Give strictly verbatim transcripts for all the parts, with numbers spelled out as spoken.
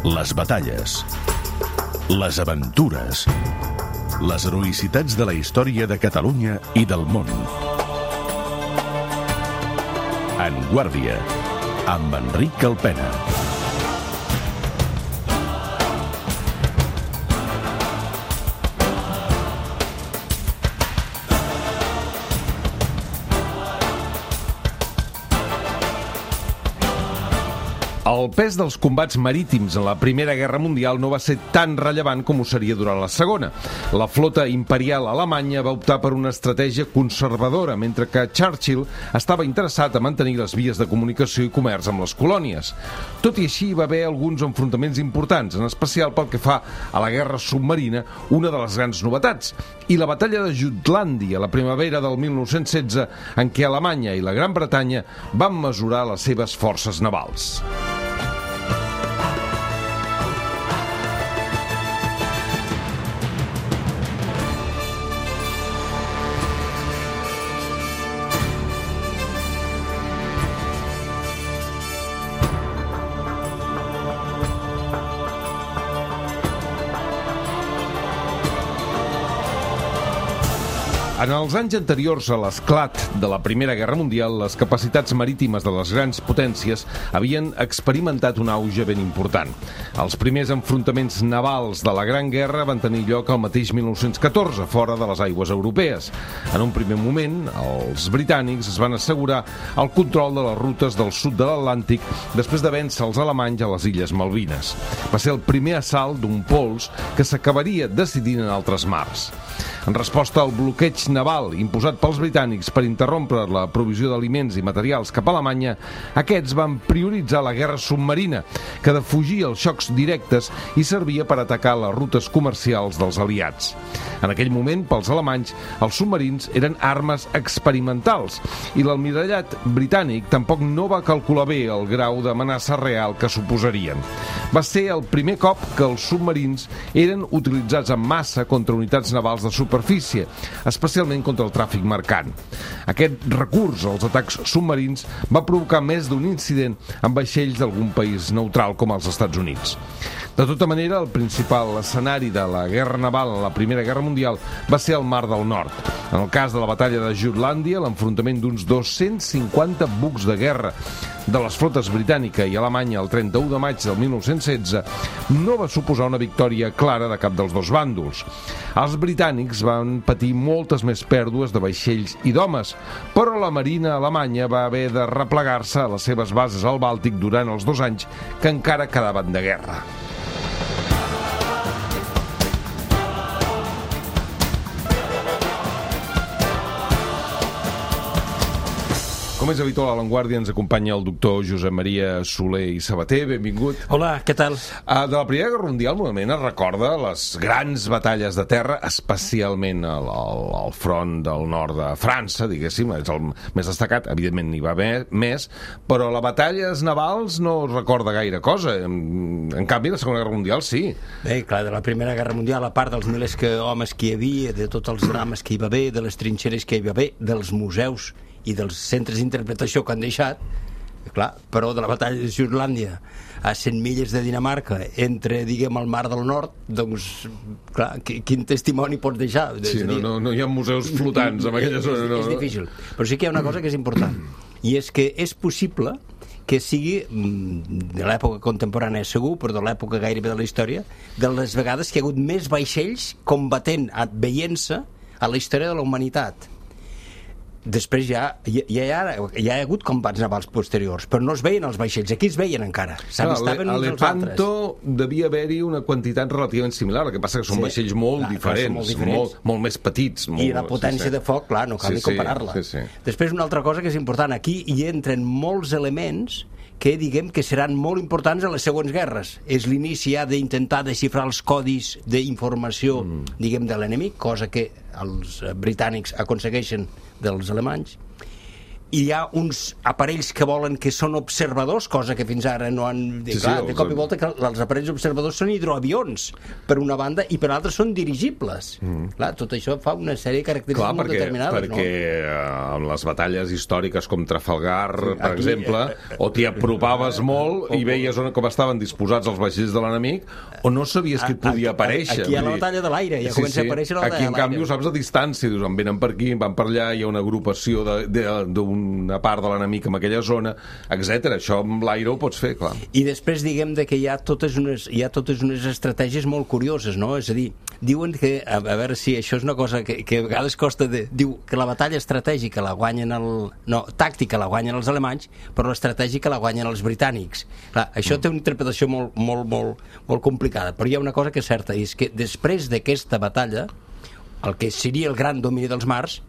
Les batalles, les aventures, les heroïcitats de la història de Catalunya i del món. En Guàrdia, amb Enric Calpena. El pes dels combats marítims en la Primera Guerra Mundial no va ser tan rellevant com ho seria durant la Segona. La flota imperial alemanya va optar per una estratègia conservadora, mentre que Churchill estava interessat a mantenir les vies de comunicació i comerç amb les colònies. Tot i així, va haver alguns enfrontaments importants, en especial pel que fa a la guerra submarina, una de les grans novetats, i la batalla de Jutlàndia, la primavera del mil nou-cents setze, en què Alemanya i la Gran Bretanya van mesurar les seves forces navals. En els anys anteriors a l'esclat de la Primera Guerra Mundial, les capacitats marítimes de les grans potències havien experimentat un auge ben important. Els primers enfrontaments navals de la Gran Guerra van tenir lloc al mateix mil nou-cents catorze, fora de les aigües europees. En un primer moment, els britànics es van assegurar el control de les rutes del sud de l'Atlàntic després de vèncer els alemanys a les Illes Malvines. Va ser el primer assalt d'un pols que s'acabaria decidint en altres mars. En resposta al bloqueig naval imposat pels britànics per interrompre la provisió d'aliments i materials cap a Alemanya, aquests van prioritzar la guerra submarina, que defugia els xocs directes i servia per atacar les rutes comercials dels aliats. En aquell moment, pels alemanys, els submarins eren armes experimentals i l'almirallat britànic tampoc no va calcular bé el grau d'amenaça real que suposarien. Va ser el primer cop que els submarins eren utilitzats en massa contra unitats navals de superfície, especialment contra el tràfic mercant. Aquest recurs als atacs submarins va provocar més d'un incident amb vaixells d'algun país neutral com els Estats Units. De tota manera, el principal escenari de la guerra naval en la Primera Guerra Mundial va ser el Mar del Nord. En el cas de la batalla de Jutlàndia, l'enfrontament d'uns dos-cents cinquanta bucs de guerra de les flotes britànica i alemanya el trenta-u de maig del mil nou-cents setze no va suposar una victòria clara de cap dels dos bàndols. Els britànics van patir moltes més pèrdues de vaixells i d'homes, però la marina alemanya va haver de replegar-se a les seves bases al Bàltic durant els dos anys que encara quedaven de guerra. Com és habitual, a l'Avantguàrdia ens acompanya el doctor Josep Maria Soler i Sabater. Benvingut. Hola, què tal? Uh, de la Primera Guerra Mundial, normalment es recorda les grans batalles de terra, especialment al, al, al front del nord de França, diguéssim, és el més destacat, evidentment n'hi va haver més, però la batalles navals no es recorda gaire cosa. En, en canvi, la Segona Guerra Mundial sí. Bé, clar, de la Primera Guerra Mundial, a part dels milers que homes que hi havia, de tots els drames que hi va haver, de les trinxeres que hi va haver, dels museus i dels centres d'interpretació que han deixat, clar, però de la batalla de Jutlàndia a cent milles de Dinamarca, entre, diguem, el Mar del Nord, doncs, clar, quin testimoni pots deixar? Sí, no, no, no hi ha museus flotants en aquella zona. No, és, és difícil, però sí que hi ha una cosa que és important, i és que és possible que sigui, de l'època contemporània segur, però de l'època gairebé de la història, de les vegades que hi ha hagut més vaixells combatent, veient-se a la història de la humanitat. Després ja, ja, ja, ja hi ha hagut combats navals posteriors, però no es veien els vaixells, aquí es veien encara, s'avistaven uns als altres. A Lepanto devia haver-hi una quantitat relativament similar, el que passa que són sí, vaixells molt, clar, diferents, clar, molt diferents, molt, molt més petits. Molt, i la potència sí, sí. de foc, clar, no cal sí, ni comparar-la. Sí, sí, sí. Després una altra cosa que és important, aquí hi entren molts elements que diguem que seran molt importants a les següents guerres. És l'inici ja d'intentar desxifrar els codis d'informació, mm. diguem, de l'enemic, cosa que els britànics aconsegueixen dels alemanys, hi ha uns aparells que volen que són observadors, cosa que fins ara no han... Sí, clar, sí, de cop i volta que els aparells observadors són hidroavions per una banda i per l'altra són dirigibles. Mm. Clar, tot això fa una sèrie de característiques clar, molt perquè, determinades, perquè, no? Perquè en les batalles històriques com Trafalgar, sí, per aquí, exemple, eh, o t'hi apropaves eh, molt eh, i veies on, com estaven disposats els vaixells de l'enemic, o no sabies que et podia aparèixer. Aquí hi ha la batalla de l'aire, ja sí, comença sí. a aparèixer la batalla aquí, en de l'aire. Aquí, en canvi, ho saps a distància, dius, en venen per aquí, van per allà, hi ha una agrupació d'una part de l'enemic en aquella zona, etcètera. Això amb l'aire ho pots fer, clar. I després diguem de que hi ha totes unes, hi ha totes unes estratègies molt curioses, no? És a dir, diuen que, a, a veure si això és una cosa que, que a vegades costa de... Diu que la batalla estratègica la guanyen el... No, tàctica la guanyen els alemanys, però l'estratègica la guanyen els britànics. Clar, això mm. té una interpretació molt, molt, molt, molt complicada, però hi ha una cosa que és certa, i és que després d'aquesta batalla, el que seria el gran domini dels mars,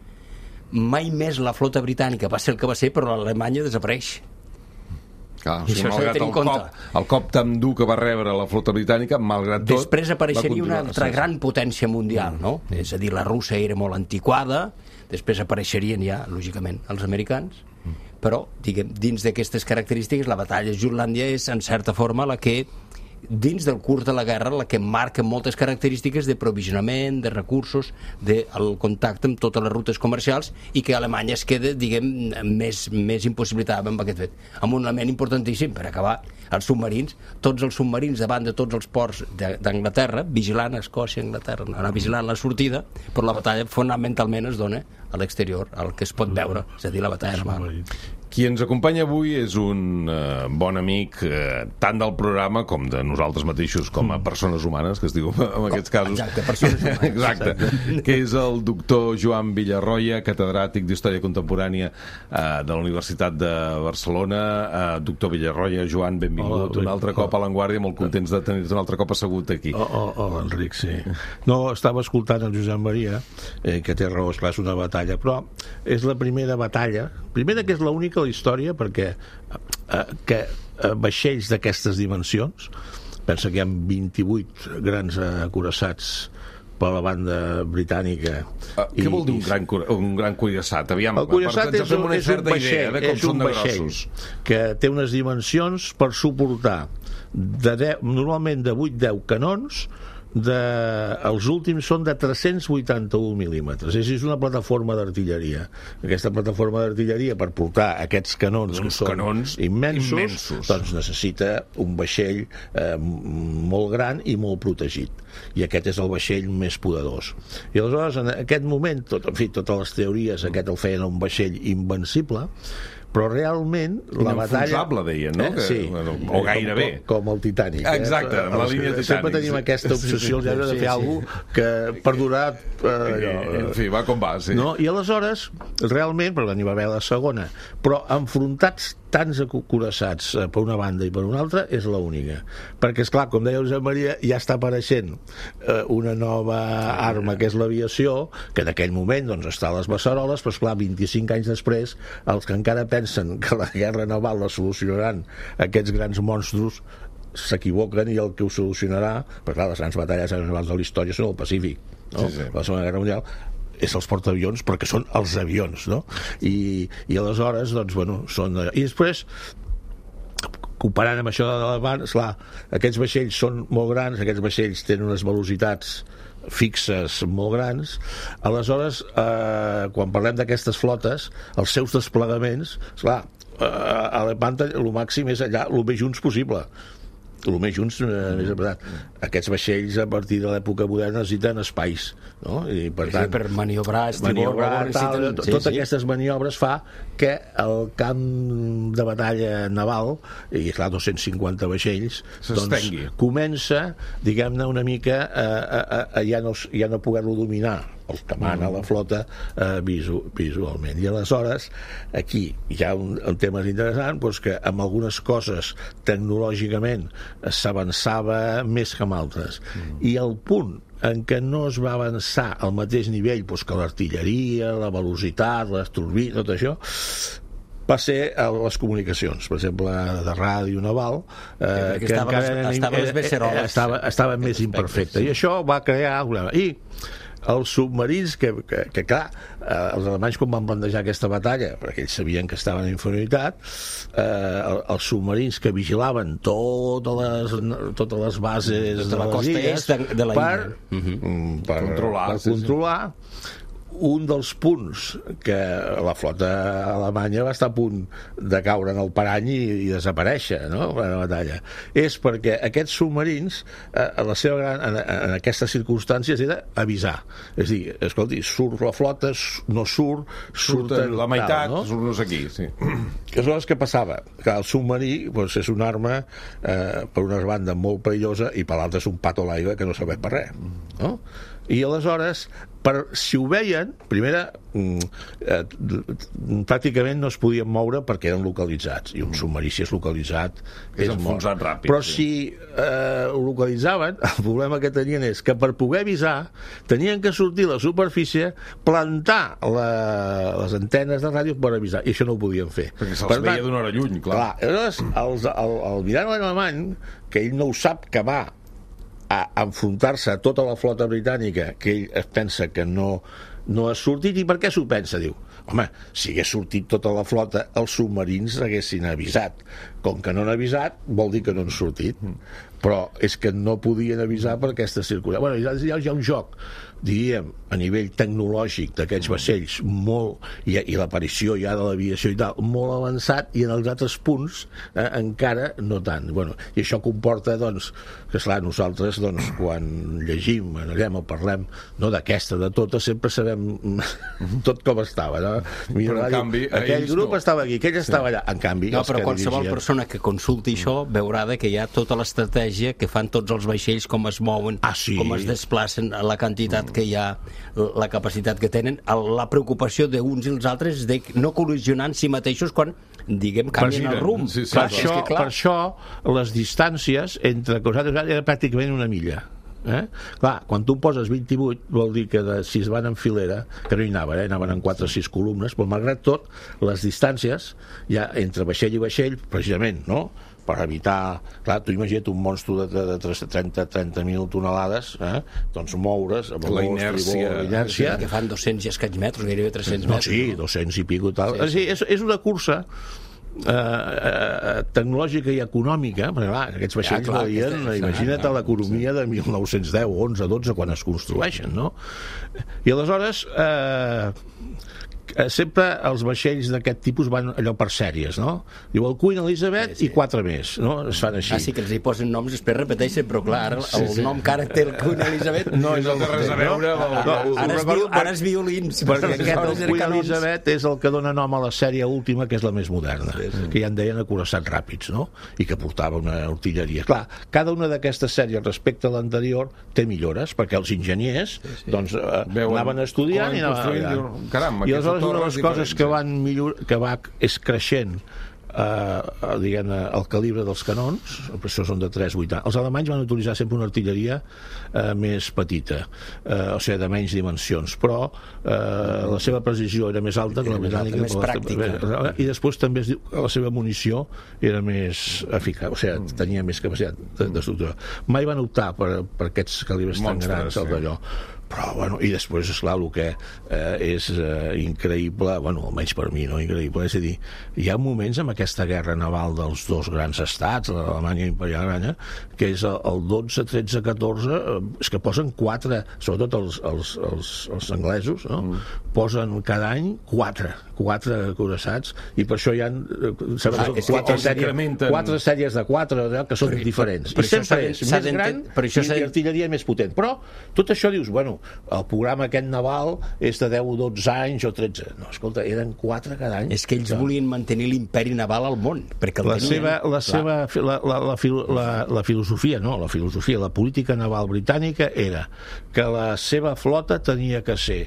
mai més la flota britànica va ser el que va ser, però l'Alemanya desapareix. Clar, o sigui, malgrat el cop, el cop tan dur que va rebre la flota britànica, malgrat tot... Després apareixeria una altra gran potència mundial, no? Mm. És a dir, la russa era molt antiquada, després apareixerien ja, lògicament, els americans, mm. però, diguem, dins d'aquestes característiques, la batalla de Jutlàndia és, en certa forma, la que dins del curs de la guerra, la que marca moltes característiques de provisionament, de recursos, del contacte amb totes les rutes comercials, i que Alemanya es queda, diguem, més, més impossibilitada amb aquest fet. Amb un element importantíssim, per acabar, els submarins, tots els submarins davant de tots els ports d'Anglaterra, vigilant Escòcia, Anglaterra, anar vigilant la sortida, però la batalla fonamentalment es dona a l'exterior, al que es pot veure, és a dir, la batalla naval. Qui ens acompanya avui és un eh, bon amic eh, tant del programa com de nosaltres mateixos com a persones humanes, que es diu en aquests casos. Exacte, persones humanes. Exacte. Exacte. Que és el doctor Joan Villarroya, catedràtic d'Història Contemporània eh, de la Universitat de Barcelona. Eh, doctor Villarroya, Joan, benvingut. Hola, un altre oh. cop a l'Avantguàrdia, molt contents de tenir-te un altre cop assegut aquí. Oh, oh, oh, Enric, sí. No, estava escoltant el Josep Maria, eh, que té raó, esclar, és una batalla, però és la primera batalla, primera que és l'única a la història, perquè eh, que eh, vaixells d'aquestes dimensions, pensa que hi ha vint-i-vuit grans acoraçats per la banda britànica. Uh, què vol dir un gran, un gran cuirassat? Aviam, el cuirassat és, un, és un vaixell, és un vaixell que té unes dimensions per suportar de deu, normalment de vuit a deu canons. De, els últims són de tres-cents vuitanta-un mil·límetres. És una plataforma d'artilleria. Aquesta plataforma d'artilleria, per portar aquests canons, que són canons immensos, immensos, doncs necessita un vaixell eh, molt gran i molt protegit. I aquest és el vaixell més poderós. I aleshores, en aquest moment, tot, en fi, totes les teories, aquest el feien un vaixell invencible, però realment la batalla... Inenfonsable, deien, no? Eh? Sí. Bueno, o gairebé. Com, com el Titanic. Exacte, amb la línia Titanic. Sempre tenim aquesta obsessió sí, sí, de fer sí, alguna cosa que per durar... Eh, allò, en fi, va com va, sí. No? I aleshores, realment, perquè n'hi va haver la segona, però enfrontats tants acoraçats eh, per una banda i per una altra és l'única. Perquè, esclar, com deia Josep Maria, ja està apareixent eh, una nova arma, que és l'aviació, que en aquell moment doncs, està a les beceroles, però, esclar, vint-i-cinc anys després, els que encara pensen que la guerra naval la solucionaran aquests grans monstros s'equivoquen, i el que ho solucionarà, perquè, clar, les grans batalles navals de la història són el Pacífic, no? Sí, sí. La Segona Guerra Mundial és els portaavions, perquè són els avions, no? I, i aleshores, doncs, bueno, són... I després, comparant amb això de l'Alevant, esclar, aquests vaixells són molt grans, aquests vaixells tenen unes velocitats fixes molt grans. Aleshores, eh, quan parlem d'aquestes flotes, els seus desplegaments, esclar, eh, a l'Alevant el màxim és allà, el més junts possible. El més junts, eh, més apretat. Aquests vaixells, a partir de l'època moderna, necessiten espais, no? I per tant, per maniobrar, estibor, maniobrar tal, necessiten... sí, totes sí. Aquestes maniobres fa que el camp de batalla naval, i clar, dos-cents cinquanta vaixells, doncs, comença, diguem-ne, una mica a, a, a, a ja no, ja no poder-lo dominar el que mana la flota eh, visu, visualment. I aleshores aquí hi ha un, un tema interessant, doncs, que amb algunes coses tecnològicament s'avançava més que amb altres, mm. i el punt en què no es va avançar al mateix nivell doncs, que l'artilleria, la velocitat, les turbines, tot això, va ser a les comunicacions, per exemple, de ràdio naval, eh, que estava, encara estava, les beceroles. estava, estava més imperfecte, sí. I això va crear... I els submarins que, que, que clar, eh, els alemanys quan van plantejar aquesta batalla, perquè ells sabien que estaven en inferioritat, eh, els submarins que vigilaven totes les, totes les bases de de la les costa illes est de la per, illa. uh-huh. per controlar, per sí, controlar sí. Un dels punts que la flota alemanya va estar a punt de caure en el parany i, i desaparèixer, no?, en la batalla, és perquè aquests submarins, eh, la seva gran, en, en aquestes circumstàncies, era avisar. És a dir, escolti, surt la flota, no surt, surten... La meitat, tal, no? surt no sé qui, sí. Aleshores, què passava? Que el submarí doncs, és una arma, eh, per una banda, molt perillosa, i per l'altra és un pato a l'aigua que no serveix per res, no? I aleshores, per, si ho veien, primera, eh, pràcticament no es podien moure perquè eren localitzats, i un submarí si és localitzat és, és enfonsat mort. ràpid. Però sí. si eh, ho localitzaven, el problema que tenien és que per poder avisar tenien que sortir a la superfície, plantar la, les antenes de ràdio per avisar, i això no ho podien fer. Perquè se'ls veia d'una hora lluny, clar. clar aleshores, els, el, el mirant alemany, que ell no ho sap, que va a enfrontar-se a tota la flota britànica, que ell es pensa que no, no ha sortit. I per què s'ho pensa? Diu, home, si hagués sortit tota la flota, els submarins haguessin avisat. Com que no han avisat, vol dir que no han sortit. Però és que no podien avisar per aquesta circulació. Bueno, ja, ja hi ha un joc, diríem, a nivell tecnològic d'aquests vaixells molt, i, i l'aparició ja de l'aviació i tal, molt avançat, i en els altres punts eh, encara no tant. Bueno, i això comporta, doncs, que esclar, nosaltres, doncs, quan llegim, analitzem o parlem, no d'aquesta, de tota, sempre sabem tot com estava, no? Però, en canvi, aquell grup no. estava aquí, aquell estava allà. En canvi, no, els però que qualsevol dirigien... persona que consulti això veurà que hi ha tota l'estratègia que fan tots els vaixells, com es mouen, ah, sí. com es desplacen, la quantitat que hi ha, la capacitat que tenen, la preocupació d'uns i els altres de no col·lisionar en si mateixos quan, diguem, canvien el rumb. Sí, sí, per, clar. això, És que, clar, per això les distàncies entre cosats era pràcticament una milla. Eh? Clar, quan tu poses vint-i-vuit vol dir que de, si es van en filera, que no hi anaven, eh? anaven en quatre o sis columnes, però malgrat tot les distàncies ja entre vaixell i vaixell, precisament, no?, per evitar, clar, tu imagina't un monstru de, de trenta mil tonelades, eh? doncs moure's amb la inèrcia, la inèrcia. Que fan dos-cents i escaig metres, gairebé tres-cents no, metres. sí, dos-cents i pico tal. Sí, sí. És, és una cursa Eh, eh, tecnològica i econòmica, perquè clar, aquests vaixells ja, clar, valien, aquesta, imagina't clar, l'economia de mil nou-cents deu, onze, dotze, quan es construeixen, no? I aleshores eh, sempre els vaixells d'aquest tipus van allò per sèries, no? Diu el Queen Elizabeth sí, sí. i quatre més, no? Es fan així. Ah, sí, que els hi posen noms, després repeteixen, però clar, ara el sí, sí. nom que ara té el Queen Elizabeth no, no té res a veure. No, no, no, ara, es viu, ara és violins. Perquè aquest, el Queen Elizabeth, és el que dona nom a la sèrie última, que és la més moderna, sí, sí. que ja en deien acoraçats ràpids, no? I que portava una artilleria. Clar, cada una d'aquestes sèries respecte a l'anterior té millores, perquè els enginyers sí, sí. doncs eh, Veuen, anaven estudiant i anaven... Caram, i aleshores una de les coses que van millor, que va és creixent eh, diguem, el calibre dels canons, per això són de tres coma vuitanta. Els alemanys van utilitzar sempre una artilleria eh, més petita, eh, o sigui, de menys dimensions, però eh, la seva precisió era més alta que la britànica, més pràctica. I després també es diu que la seva munició era més eficaç, o sigui, tenia més capacitat d'estructura. Mai van optar per, per aquests calibres tan grans, el d'allò. Però, bueno, i després, esclar, el que eh, és eh, increïble, bueno, almenys per mi, no increïble, és a dir, hi ha moments en aquesta guerra naval dels dos grans estats, l'Alemanya imperial alemanya, que és el dotze, tretze, catorze, eh, és que posen quatre, sobretot els, els, els, els anglesos, no? Mm. Posen cada any quatre, quatre acoraçats, i per això hi ha ah, quatre, sèries, quatre sèries de quatre, que són per, diferents. Per, per I sempre és més gran i l'artilleria més potent. Però tot això dius, bueno, el programa aquest naval és de deu o dotze anys o tretze. No, escolta, eren quatre cada any. És que ells volien mantenir l'imperi naval al món, perquè el la tenien... seva, la, seva, la, la, la, la, la filosofia, no, la filosofia, la política naval britànica era que la seva flota tenia que ser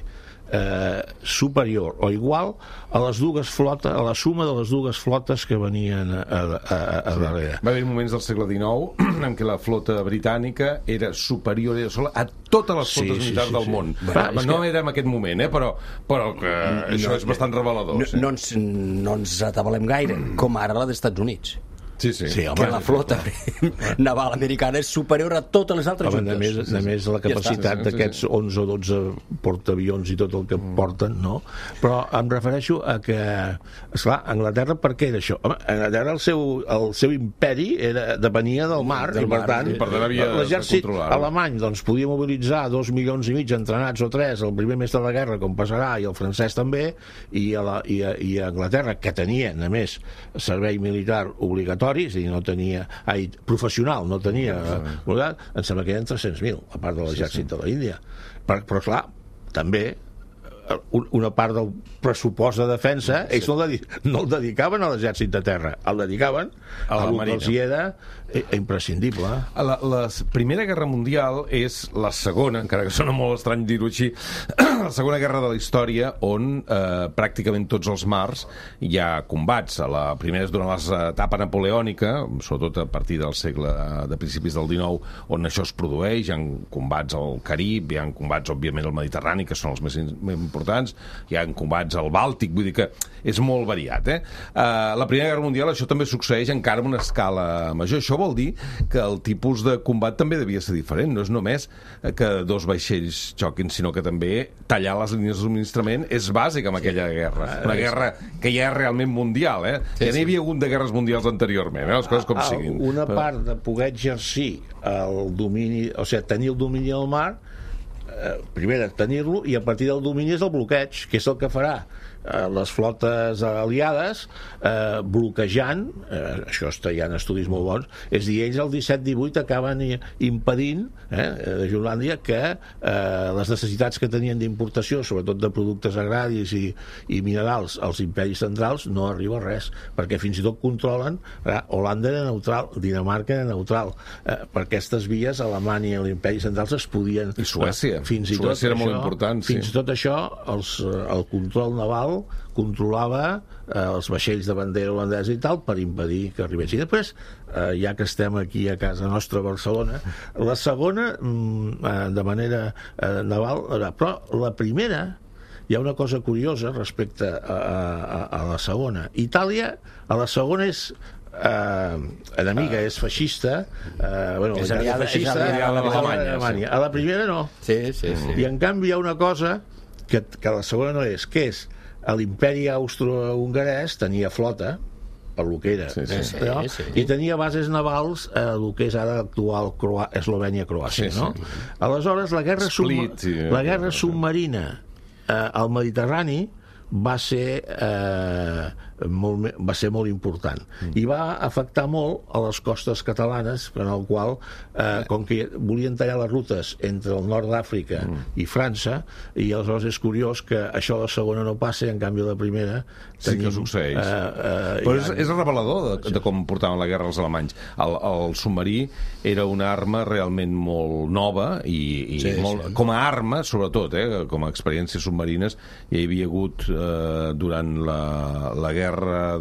Eh, superior o igual a les dues flotes, a la suma de les dues flotes que venien a, a, a, a sí. darrere. Va haver moments del segle dinou en què la flota britànica era superior era sola a totes les flotes sí, militars sí, sí, del sí. món. Bueno, no que... era en aquest moment, eh? però, però que no, això és bastant revelador. No, sí. no, ens, no ens atabalem gaire, com ara la dels Estats Units. Sí, sí. Sí, home, que la flota naval americana és superior a totes les altres home, a juntes. més, a més la capacitat Ja d'aquests onze o dotze portaavions i tot el que porten, no? Però em refereixo a que, esclar, Anglaterra, per què era això? Home, Anglaterra, el seu, el seu imperi era, depenia del mar, Del i per mar, tant, sí. Per tant, havia de l'exèrcit controlar-ho. alemany doncs, podia mobilitzar dos milions i mig entrenats o tres el primer mes de la guerra, com passarà, i el francès també, i a, la, i a, i a Anglaterra, que tenia, a més, servei militar obligatori, és a dir, no tenia, ai, professional, no tenia, eh, em sembla que eren tres-cents mil, a part de l'exèrcit sí, sí. de l'Índia. Però, però, clar, també una part del pressupost de defensa ells no el, no el dedicaven a l'exèrcit de terra, el dedicaven a, a la marina, que els hi era imprescindible. La, la Primera Guerra Mundial és la segona, encara que sona molt estrany dir-ho així, la segona guerra de la història on eh, pràcticament tots els mars hi ha combats. La primera és durant l'etapa napoleònica, sobretot a partir del segle de principis del dinou, on això es produeix, hi ha combats al Carib, hi ha combats òbviament al Mediterrani, que són els més importants, hi ha combats al Bàltic, vull dir que és molt variat. Eh? Uh, la Primera Guerra Mundial això també succeeix encara en una escala major. Això vol dir que el tipus de combat també devia ser diferent. No és només que dos vaixells xoquin, sinó que també tallar les línies de subministrament és bàsic en aquella guerra. Una guerra que ja és realment mundial. Eh? Sí, ja n'hi havia hagut de guerres mundials anteriorment, eh? Les coses com siguin. Una part de poder exercir el domini, o sigui, tenir el domini del mar, eh, primer tenir-lo, i a partir del domini és el bloqueig, que és el que farà les flotes aliades eh, bloquejant, eh, això està, hi ha estudis molt bons, és dir, ells el disset divuit acaben impedint eh, de Julàndia que eh, les necessitats que tenien d'importació, sobretot de productes agraris i, i minerals als imperis centrals, no arriba a res, perquè fins i tot controlen, eh, Holanda era neutral, Dinamarca era neutral, eh, per aquestes vies Alemanya i l'imperi centrals es podien... I Suècia, eh, fins i Suècia tot era això, molt important, sí. Fins i tot això, els, el control naval controlava eh, els vaixells de bandera holandesa i tal per impedir que arribessin. I després, eh, ja que estem aquí a casa nostra a Barcelona, la segona mm, eh, de manera eh, naval, però la primera hi ha una cosa curiosa respecte a, a, a la segona. Itàlia, a la segona és eh, enemiga, és feixista, eh, bueno, és aliada, feixista, és aliada a l'Alemanya. A la primera no. Sí, sí, sí. I en canvi hi ha una cosa que, que la segona no és, que és l'imperi austro-hongarès tenia flota per lo que era, sí, sí, eh, però, sí, sí. i tenia bases navals a eh, el que és ara l'actual Eslovènia-Croàcia, sí, no? sí. Aleshores la guerra, Split, sí, la guerra submarina eh, al Mediterrani va ser eh, molt, va ser molt important mm. i va afectar molt a les costes catalanes, en el qual eh, com que volien tallar les rutes entre el nord d'Àfrica mm. i França, i aleshores és curiós que això a la segona no passa i en canvi a la primera sí tenim, que succeeix eh, eh, però és, és revelador de, de com portaven la guerra els alemanys. El, el submarí era una arma realment molt nova i, i sí, molt, sí. com a arma sobretot, eh, com a experiències submarines hi havia hagut eh, durant la, la guerra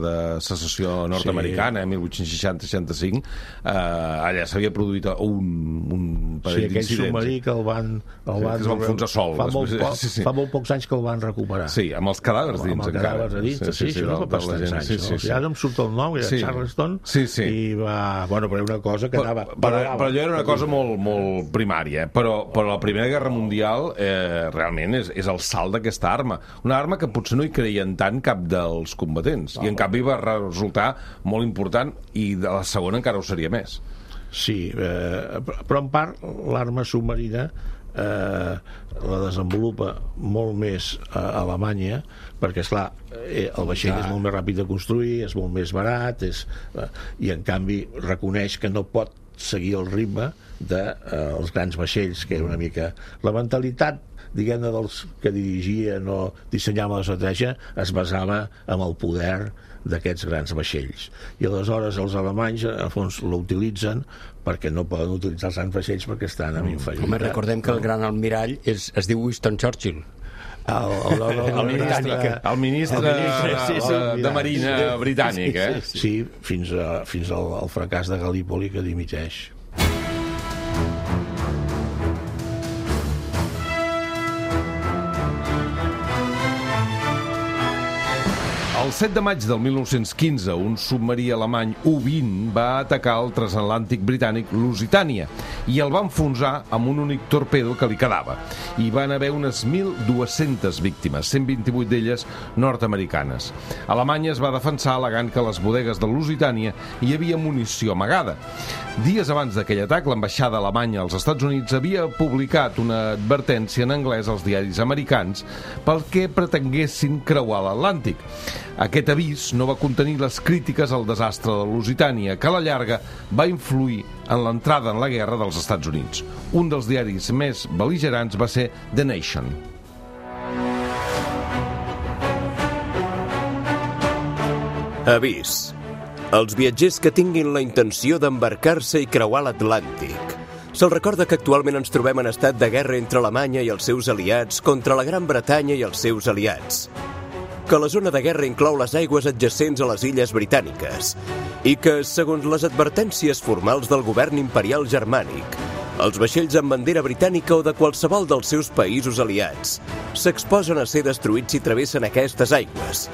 de secessió nord-americana, sí. mil vuit-cents seixanta seixanta-cinc, eh, allà s'havia produït un, un parell sí, d'incidents. Sí, aquell submarí que el van... El van sí, es van enfonsar sol. Fa molt, després, poc, sí, sí. fa molt pocs anys que el van recuperar. Sí, amb els cadàvers dins. Amb els cadàvers a dins, sí, sí, sí, sí, no fa bastants anys. Sí, sí, sí. Ara em surt el nom, era sí. Charleston, sí, sí. i va... Bueno, però era una cosa que anava... Però, però, però allò era una cosa molt, molt primària, eh? però, però la Primera Guerra Mundial eh, realment és, és el salt d'aquesta arma. Una arma que potser no hi creien tant cap dels combatents, i en canvi va resultar molt important, i de la segona encara ho seria més. Sí, eh, però en part l'arma submarina eh, la desenvolupa molt més a Alemanya, perquè esclar, eh, el vaixell ja. és molt més ràpid de construir, és molt més barat, és, eh, i en canvi reconeix que no pot seguir el ritme dels de, eh, grans vaixells, que era una mica la mentalitat diguem-ne dels que dirigien o dissenyaven l'estratègia es basava en el poder d'aquests grans vaixells, i aleshores els alemanys al fons l'utilitzen perquè no poden utilitzar els grans vaixells perquè estan en inferioritat. Home, recordem que el gran almirall és, es diu Winston Churchill. El, el, el, el, el ministre, el ministre, el ministre de, sí, sí, de, de Marina britànic, eh? Sí, sí, fins, a, fins al, al fracàs de Gallipoli, que dimiteix. El El set de maig del mil nou-cents quinze, un submarí alemany U vint va atacar el transatlàntic britànic Lusitània i el va enfonsar amb un únic torpedo que li quedava. Hi van haver unes mil dues-centes víctimes, cent vint-i-vuit d'elles nord-americanes. Alemanya es va defensar al·legant que a les bodegues de Lusitània hi havia munició amagada. Dies abans d'aquell atac, l'ambaixada alemanya als Estats Units havia publicat una advertència en anglès als diaris americans pel que pretenguessin creuar l'Atlàntic. Aquest avís no va contenir les crítiques al desastre de Lusitània, que a la llarga va influir en l'entrada en la guerra dels Estats Units. Un dels diaris més bel·ligerants va ser The Nation. Avís. Els viatgers que tinguin la intenció d'embarcar-se i creuar l'Atlàntic. Se'l recorda que actualment ens trobem en estat de guerra entre Alemanya i els seus aliats contra la Gran Bretanya i els seus aliats. Que la zona de guerra inclou les aigües adjacents a les illes britàniques i que, segons les advertències formals del govern imperial germànic, els vaixells amb bandera britànica o de qualsevol dels seus països aliats s'exposen a ser destruïts si travessen aquestes aigües,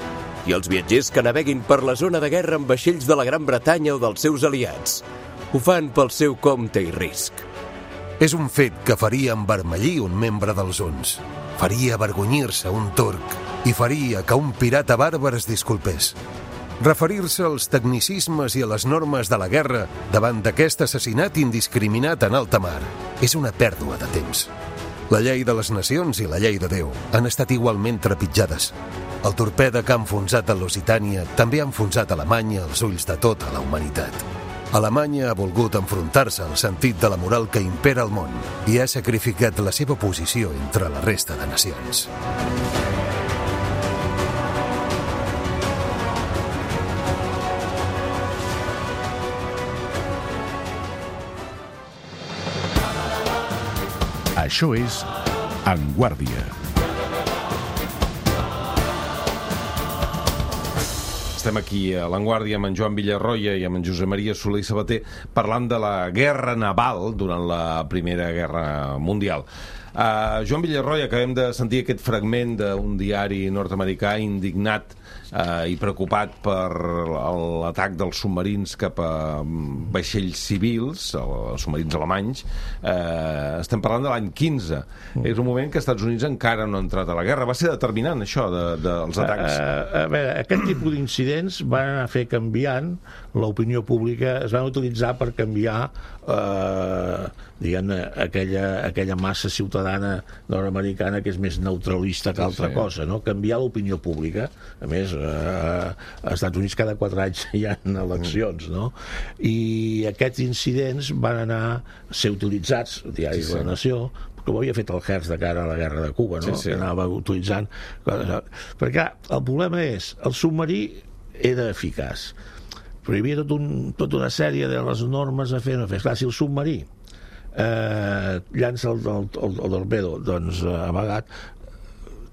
i els viatgers que naveguin per la zona de guerra amb vaixells de la Gran Bretanya o dels seus aliats ho fan pel seu compte i risc. És un fet que faria envermellir un membre dels uns, faria avergonyir-se un turc i faria que un pirata bàrbar es disculpés. Referir-se als tecnicismes i a les normes de la guerra davant d'aquest assassinat indiscriminat en alta mar és una pèrdua de temps. La llei de les nacions i la llei de Déu han estat igualment trepitjades. El torpede que ha enfonsat a Lusitània també ha enfonsat Alemanya als ulls de tota la humanitat. Alemanya ha volgut enfrontar-se al sentit de la moral que impera al món i ha sacrificat la seva posició entre la resta de nacions. Això és En Guàrdia. Estem aquí a l'Enguàrdia amb en Joan Villarroya i amb en Josep Maria Soler i Sabater parlant de la guerra naval durant la Primera Guerra Mundial. Uh, Joan Villarroya, acabem de sentir aquest fragment d'un diari nord-americà indignat uh, i preocupat per l'atac dels submarins cap a vaixells civils, els submarins alemanys. Uh, estem parlant de l'any quinze. Mm. És un moment que els Estats Units encara no han entrat a la guerra. Va ser determinant, això, dels de, de atacs. Uh, a veure, aquest tipus d'incidents van anar a fer canviant l'opinió pública, es van utilitzar per canviar uh, diguem-ne, aquella, aquella massa ciutadana nord-americana que és més neutralista que altra sí. cosa, no? Canviar l'opinió pública. A més, eh, als Estats Units cada quatre anys hi ha eleccions, no? I aquests incidents van anar a ser utilitzats, el diari sí, sí. de la Nació, com havia fet el Hertz de cara a la guerra de Cuba, no? Sí, sí. Que anava utilitzant... Perquè el problema és, el submarí era eficaç, però hi havia tot un, tota una sèrie de les normes a fer, no fer. Clar, si el submarí eh, llança el, el, el, el torpedo doncs eh, amagat,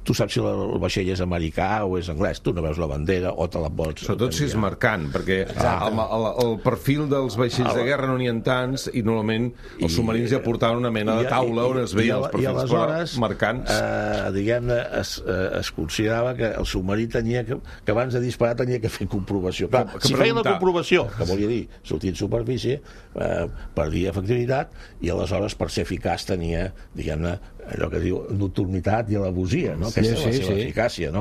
tu saps si el vaixell és americà o és anglès, tu no veus la bandera o te la pots... Sobretot si és marcant, perquè el, el, el perfil dels vaixells de guerra no n'hi ha tants i normalment els submarins ja portaven una mena de taula on es veien els perfils aleshores, marcants. Eh, diguem-ne, es, eh, es considerava que el submarí tenia que, que abans de disparar tenia que fer comprovació. Clar, que, que si feia la comprovació, que volia dir sortir en superfície, eh, perdia efectivitat i aleshores per ser eficaç tenia, diguem-ne, allò que diu nocturnitat i alabosia, no? Aquesta sí, és la seva sí. eficàcia, no?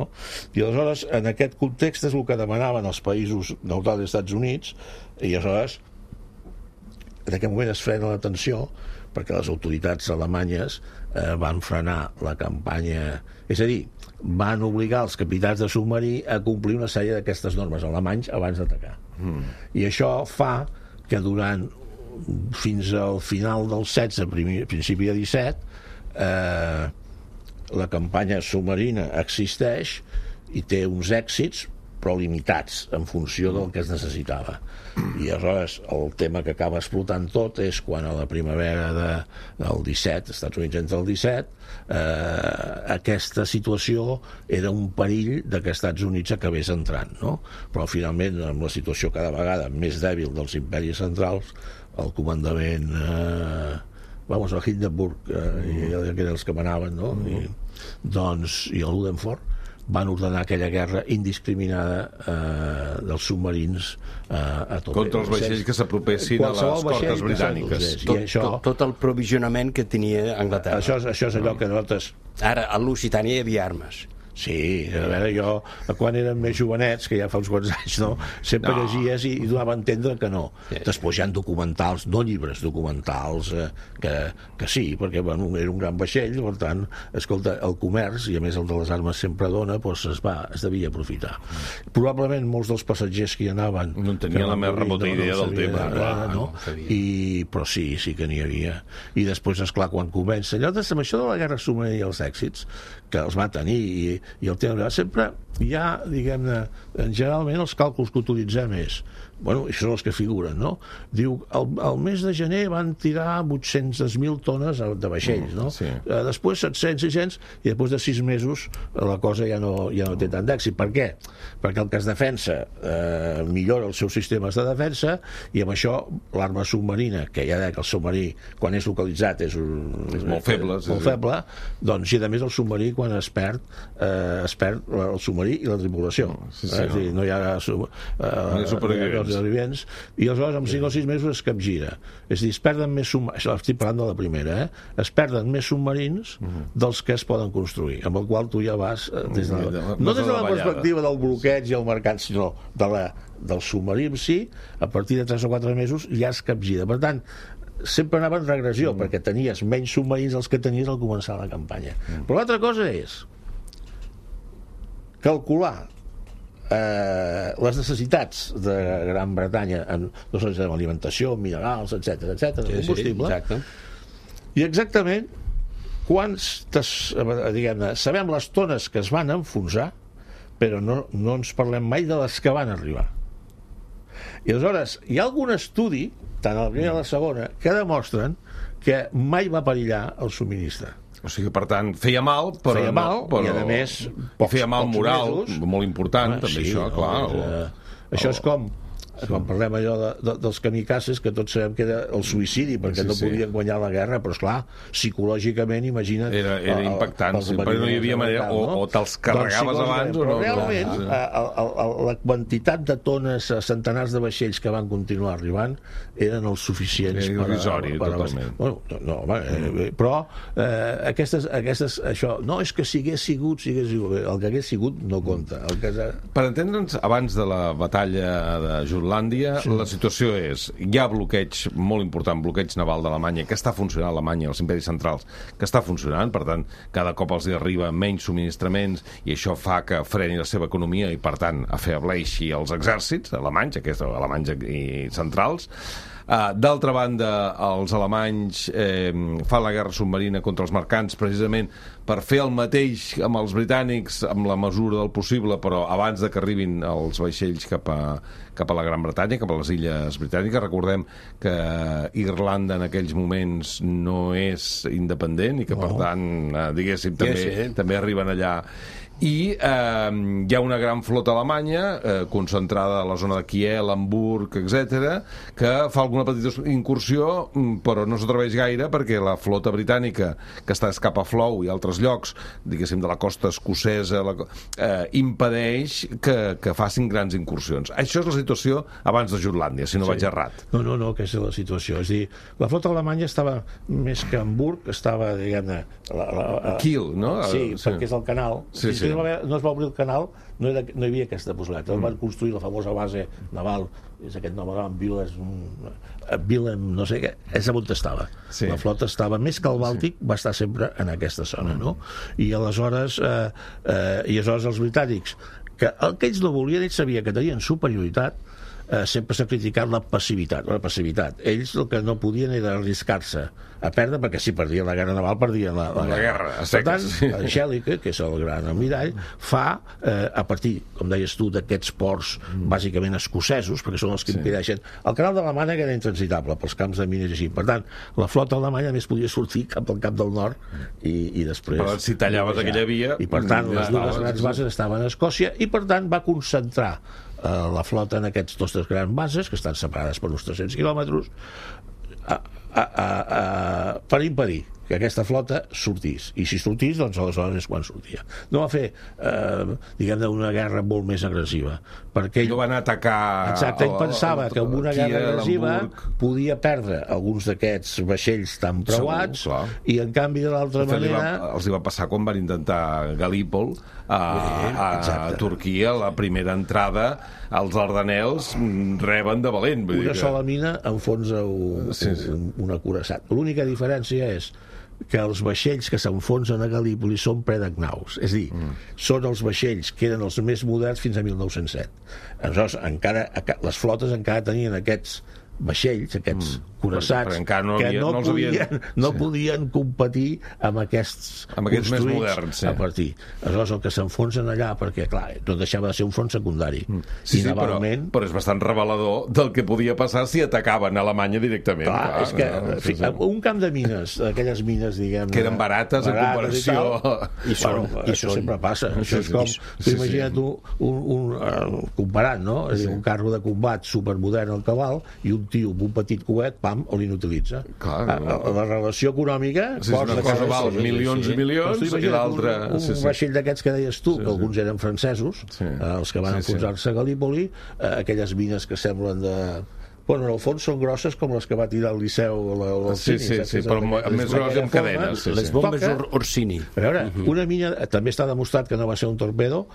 I aleshores, en aquest context és el que demanaven els països neutrals dels Estats Units, i aleshores en aquest moment es frena la tensió perquè les autoritats alemanyes eh, van frenar la campanya, és a dir, van obligar els capitans de submarí a complir una sèrie d'aquestes normes alemanys abans d'atacar. Mm. I això fa que durant fins al final del setze, principi de disset, Eh, la campanya submarina existeix i té uns èxits però limitats en funció del que es necessitava, i aleshores el tema que acaba explotant tot és quan a la primavera de, del disset, Estats Units entra el disset, eh, aquesta situació era un perill de que Estats Units acabés entrant, no? Però finalment amb la situació cada vegada més dèbil dels imperis centrals, el comandament eh, vamos, a Hindenburg, eh, i que eren els que manaven, no? I, doncs, i el Ludendorff, van ordenar aquella guerra indiscriminada eh, dels submarins eh, a tot. Contra els vaixells que s'apropessin a les costes britàniques. Tot, això, tot, tot el provisionament que tenia Anglaterra. Això, això és allò que nosaltres... Ara, a l'Occitània hi havia armes. Sí, a veure, jo, quan érem més jovenets, que ja fa uns quants anys, no? Sempre no. llegies i, i donava a entendre que no. Sí. Després hi ha documentals, no llibres, documentals, eh, que, que sí, perquè bueno, era un gran vaixell, per tant, escolta, el comerç, i a més el de les armes sempre dona, doncs es, va, es devia aprofitar. Mm. Probablement molts dels passatgers que hi anaven... No en tenien la més remota no, idea no del tema. De, clar, no? No I, però sí, sí que n'hi havia. I després, esclar, quan comença, allò de, amb això de la guerra submarina i els èxits, que els va tenir i, i el tema sempre hi ha, diguem-ne, generalment els càlculs que utilitzem és, bueno, això són els que figuren, no? Diu, el, el mes de gener van tirar vuit-centes mil tones de vaixells, no? Sí. Eh, després set-cents, sis-cents, i després de sis mesos la cosa ja no, ja no té tant d'èxit. Per què? Perquè el que es defensa eh, millora els seus sistemes de defensa i amb això l'arma submarina, que ja deia que el submarí, quan és localitzat, és, un, és molt feble, és molt feble, doncs, i a més el submarí, quan es perd, eh, es perd el submarí i la tripulació. Sí, sí, eh, és a dir, no hi ha, eh, no hi ha supervivents. supervivents, i aleshores amb cinc o sis mesos es capgira. És a dir, es perden més submarins, això estic parlant de la primera, eh? Es perden més submarins dels que es poden construir, amb el qual tu ja vas eh, des de la, no des de la perspectiva del bloqueig i el mercat, sinó de la, del submarí en si, a partir de tres o quatre mesos ja es capgira. Per tant, sempre anava en regressió, mm. perquè tenies menys submarins dels que tenies al començar la campanya. Mm. Però l'altra cosa és calcular Eh, les necessitats de Gran Bretanya en, no sé, en alimentació, minerals, etc etc, sí, combustible, sí, exacte. I exactament quants, diguem-ne, sabem les tones que es van enfonsar, però no, no ens parlem mai de les que van arribar. I aleshores hi ha algun estudi, tant a la primera com a la segona, que demostren que mai va perillar el subministre. O sigui, per tant, feia mal, però... Feia mal, no, però, i a més... Pocs, feia mal moral, mesos. Molt important, ah, també, sí, això, no, clar. O, eh, això és com... Quan parlem allò de, de, dels kamikazes, que tots sabem que era el suïcidi, perquè sí, no podien sí. guanyar la guerra, però esclar, psicològicament, imagina't... Era, era impactant, sí, perquè no hi havia manera, o, o te'ls carregaves doncs, abans o no... Però realment, no, el, el, el, la quantitat de tones, centenars de vaixells que van continuar arribant, eren els suficients era irrisori, per... totalment. Bueno, no, no, home, eh, però eh, aquestes, aquestes, això, no, és que si hagués sigut, si hagués sigut, el que hagués sigut no compta. El que... Per entendre'ns, abans de la batalla de Jutlàndia, sí. La situació és, hi ha bloqueig molt important, bloqueig naval d'Alemanya, que està funcionant a Alemanya, els imperis centrals, que està funcionant, per tant, cada cop els arriba menys subministraments i això fa que freni la seva economia i, per tant, afebleixi els exèrcits alemanys, aquests alemanys i centrals. Uh, D'altra banda, els alemanys eh, fan la guerra submarina contra els mercants precisament per fer el mateix amb els britànics amb la mesura del possible, però abans de que arribin els vaixells cap a, cap a la Gran Bretanya, cap a les illes britàniques. Recordem que Irlanda en aquells moments no és independent i que, no. per tant, eh, diguéssim, també, sí, sí. també arriben allà. I eh, hi ha una gran flota alemanya eh, concentrada a la zona de Kiel, Hamburg, etcètera, que fa alguna petita incursió, però no s'atreveix gaire perquè la flota britànica, que està cap a Flow i altres llocs, diguéssim, de la costa escocesa, la, eh, impedeix que, que facin grans incursions. Això és la situació abans de Jutlàndia, si no sí. vaig errat. No, no, no, aquesta és la situació. És dir, la flota alemanya estava més que Hamburg, estava, diguem-ne... La, la, la... Kiel, no? Sí, sí, perquè és el canal. Sí, sí. No es va obrir el canal, no, era, no hi havia aquesta possibilitat. Mm. Van construir la famosa base naval, és aquest nom, Willem, no sé què, és on estava. Sí. La flota estava, més que el Bàltic, sí. va estar sempre en aquesta zona, no? I aleshores, eh, eh, i aleshores els britànics, que el que ells no volien, ells sabien que tenien superioritat, eh, sempre s'ha criticat la passivitat, la passivitat. Ells el que no podien era arriscar-se a perdre, perquè si perdien la guerra naval, perdien la, la, la guerra. guerra. Per tant, el Schellicke, que és el gran almirall, fa, eh, a partir, com deies tu, d'aquests ports mm. bàsicament escocesos, perquè són els que sí. impedeixen... El canal de la Mànega era intransitable pels camps de mines i així. Per tant, la flota alemanya més podia sortir cap al cap del nord i, i després... Però si tallaves aquella via... I per tant, les dues grans bases estaven a Escòcia i per tant va concentrar eh, la flota en aquests dos grans bases, que estan separades per uns tres-cents quilòmetres, a, a, a, a, per impedir que aquesta flota sortís. I si sortís, doncs aleshores és quan sortia. No va fer, eh, diguem-ne, una guerra molt més agressiva. Perquè ell... No van atacar... Exacte, ell pensava que amb una guerra agressiva podia perdre alguns d'aquests vaixells tan preuats, i en canvi de l'altra manera... Va, els hi va passar quan van intentar Galípol a, a, a Turquia, la primera entrada, els Dardanels reben de valent. Vull una dir que... sola mina enfonsa un, sí, sí. un, un acuirassat. L'única diferència és que els vaixells que s'enfonsen a Galípoli són predagnauts, és a dir, mm. són els vaixells que eren els més moderns fins a mil nou-cents set. Aleshores, encara, les flotes encara tenien aquests vaixells, aquests mm. curassats, no que havia, no, no, podien, havien... no sí. podien competir amb aquests, amb aquests més moderns, sí. a partir. Aleshores, el que s'enfonsen allà, perquè, clar, no deixava de ser un front secundari. Mm. Sí, sí, navalment... però, però és bastant revelador del que podia passar si atacaven a Alemanya directament. Clar, clar és que, no, fi, sí, sí. un camp de mines, aquelles mines, diguem... Que eren barates, barates en comparació... I, tal, i, són, bueno, i això són... sempre passa. Sí, això és com, sí, tu imagina't sí. un, un, un, comparant, no? És sí. dir, un carro de combat supermodern al cabal i un tio amb un petit coet, pam, o l'inutilitza. Clar, no. la, la relació econòmica... Sí, una cosa val sí, milions sí. i milions, sí. i l'altra... Un, un sí, sí. vaixell d'aquests que deies tu, sí, que alguns eren francesos, sí. eh, els que van sí, enfonsar-se sí. a Galípoli, eh, aquelles mines que semblen de... Bueno, en el fons són grosses com les que va tirar el Liceu al sí, sí, sí, però més grosses amb cadenes. Sí, les bombes Toca, Orsini. A veure, uh -huh. una mina... També està demostrat que no va ser un torpedo.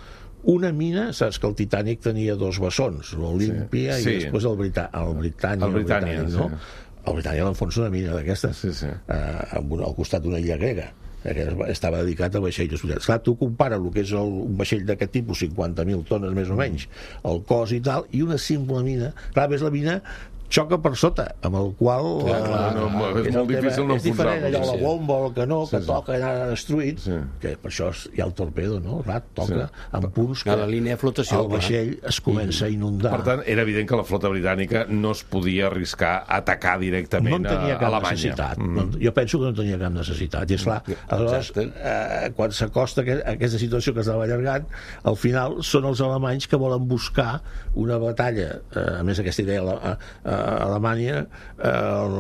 Una mina, saps que el Titanic tenia dos bessons, l'Olímpia sí. i sí. després el, Brita, el Britània. El Britània, el Britànic, no? Sí. El Britània l'enfonsa una mina d'aquestes, sí, sí. eh, al costat d'una illa grega, que estava dedicat a vaixells hospitals. Clar, tu compara el que és el, un vaixell d'aquest tipus, cinquanta mil tones més o menys, el cos i tal, i una simple mina. Clar, ves la mina xoca per sota, amb el qual clar, clar, no, no, és, és molt difícil no és diferent allò, la bomba o el canó que sí, toca i anar destruït sí. que per això hi ha el torpedo, no? Clar, toca sí. en punts que a la línia de flotació el vaixell es comença a inundar. Per tant, era evident que la flota britànica no es podia arriscar a atacar directament no tenia cap a Alemanya. Necessitat. Mm. No, jo penso que no tenia cap necessitat. I esclar, aleshores, eh, quan s'acosta aquesta situació que estava allargant, al final són els alemanys que volen buscar una batalla, eh, a més aquesta idea a, a a Alemanya, eh, el,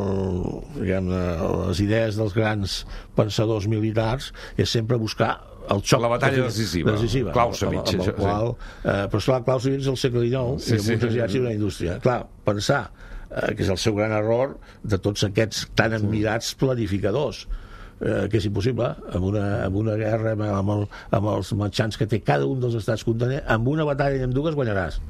diguem, les idees dels grans pensadors militars és sempre buscar el xoc, la batalla decisiva, decisiva Clausewitz, amb, amb el qual, eh, però esclar, Clausewitz és el segle dinou sí, i amb sí, uns exèrcits i una indústria. Clar, pensar eh, que és el seu gran error de tots aquests tan admirats planificadors, eh, que és impossible amb una, amb una guerra amb, amb, el, amb els mitjans que té cada un dels estats contenents, amb una batalla i amb dues guanyaràs.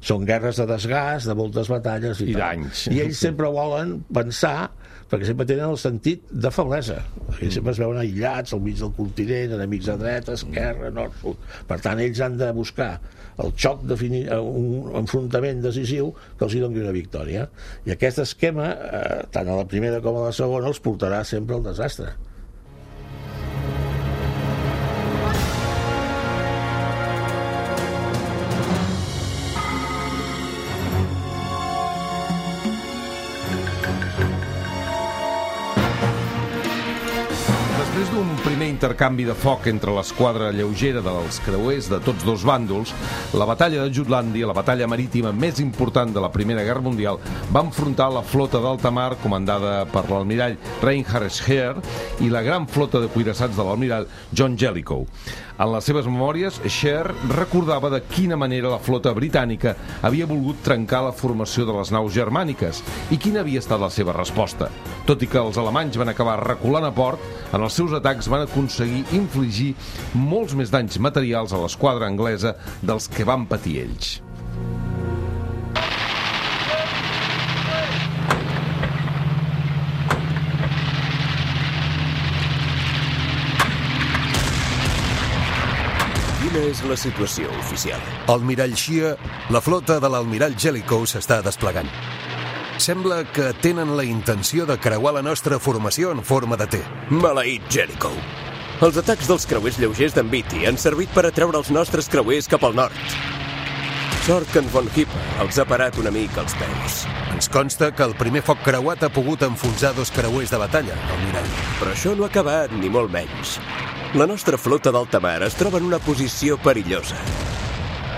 Són guerres de desgast, de moltes batalles i, I d'anys. I ells sempre volen pensar, perquè sempre tenen el sentit de feblesa. Ells sempre es veuen aïllats al mig del continent, enemics a dreta, esquerra, nord, sud. Per tant, ells han de buscar el xoc, defini- un enfrontament decisiu que els hi doni una victòria. I aquest esquema, eh, tant a la primera com a la segona, els portarà sempre al desastre. Després d'un primer intercanvi de foc entre l'esquadra lleugera dels creuers de tots dos bàndols, la batalla de Jutlàndia, la batalla marítima més important de la Primera Guerra Mundial, va enfrontar la flota d'alta mar comandada per l'almirall Reinhard Scheer i la gran flota de cuirassats de l'almirall John Jellicoe. En les seves memòries, Scheer recordava de quina manera la flota britànica havia volgut trencar la formació de les naus germàniques i quina havia estat la seva resposta. Tot i que els alemanys van acabar reculant a port, en els seus atacs van aconseguir infligir molts més danys materials a l'esquadra anglesa dels que van patir ells. Quina és la situació oficial? Almirall Scheer, la flota de l'almirall Jellicoe s'està desplegant. Sembla que tenen la intenció de creuar la nostra formació en forma de T. Maleït Jellicoe. Els atacs dels creuers lleugers d'en Beatty han servit per atreure els nostres creuers cap al nord. Sort que en Von Hipper els ha parat una mica als peus. Ens consta que el primer foc creuat ha pogut enfonsar dos creuers de batalla, almirall. Però això no ha acabat, ni molt menys. La nostra flota d'alta mar es troba en una posició perillosa.